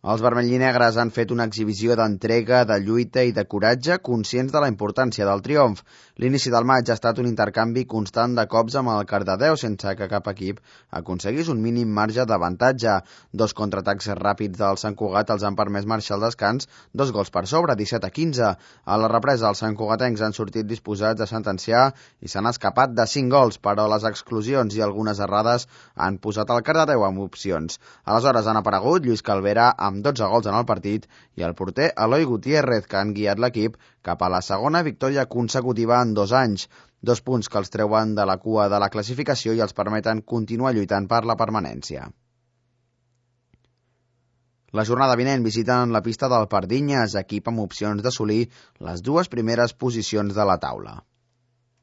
Els vermellinegres han fet una exhibició d'entrega, de lluita i de coratge, conscients de la importància del triomf. L'inici del maig ha estat un intercanvi constant de cops amb el Cardedeu, sense que cap equip aconseguís un mínim marge d'avantatge. Dos contraatacs ràpids del Sant Cugat els han permès marxar al descans 2 gols per sobre, 17-15. A la represa, els santcugatencs han sortit disposats a sentenciar i s'han escapat de 5 gols, però les exclusions i algunes errades han posat el Cardedeu amb opcions. Aleshores han aparegut Lluís Calvera amb 12 gols en el partit i el porter Eloi Gutiérrez, que han guiat l'equip cap a la segona victòria consecutiva en 2 anys. 2 punts que els treuen de la cua de la classificació i els permeten continuar lluitant per la permanència. La jornada vinent visiten la pista del Pardinyes, equip amb opcions d'assolir les 2 primeres posicions de la taula.